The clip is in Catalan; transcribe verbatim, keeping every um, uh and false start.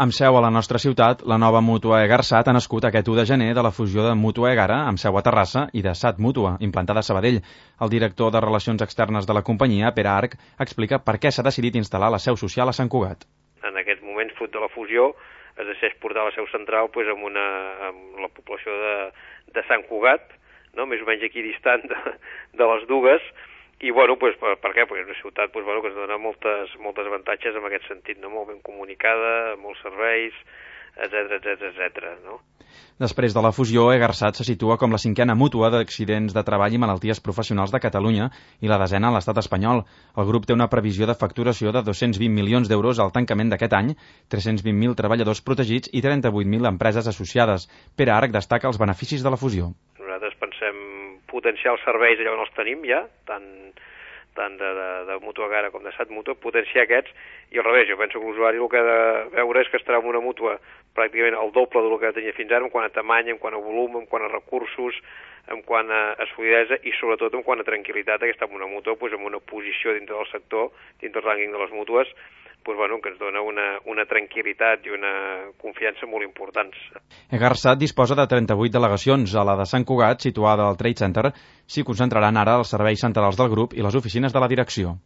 Amb seu a la nostra ciutat, la nova mútua Egarsat ha nascut aquest u de gener de la fusió de Mútua Egara, amb seu a Terrassa, i de Sat Mútua, implantada a Sabadell. El director de Relacions Externes de la companyia, Pere Arc, explica per què s'ha decidit instal·lar la seu social a Sant Cugat. En aquest moment, fruit de la fusió, es decideix portar la seu central pues, amb, una, amb la població de, de Sant Cugat, no? Més o menys aquí distant de, de les dues, i bueno, pues, per, per què? Perquè és una ciutat pues, bueno, que ens dona moltes, moltes avantatges en aquest sentit, no? Molt ben comunicada, molts serveis, etcètera, etcètera, etcètera, no? Després de la fusió, Egarsat se situa com la cinquena mútua d'accidents de treball i malalties professionals de Catalunya i la desena a l'estat espanyol. El grup té una previsió de facturació de dos-cents vint milions d'euros al tancament d'aquest any, tres-cents vint mil treballadors protegits i trenta-vuit mil empreses associades. Pere Arc destaca els beneficis de la fusió. Nosaltres pensem potenciar els serveis allà on els tenim ja, tant tant de, de, de Mútua Egara com de Sat Mútua, potenciar aquests, i al revés, jo penso que l'usuari el que ha de veure és que estarà en una mútua pràcticament el doble del que tenia fins ara, en quant a tamany, en quant a volum, en quant a recursos, en quant a, a solidesa i sobretot en quant a tranquil·litat, que està en una mútua pues, en una posició dintre del sector, dintre del rànquing de les mútues, pues, bueno, que ens dona una, una tranquil·litat i una confiança molt importants. Egarsat disposa de trenta-vuit delegacions. A la de Sant Cugat, situada al Trade Center, s'hi concentraran ara els serveis centrals del grup i les oficines de la direcció.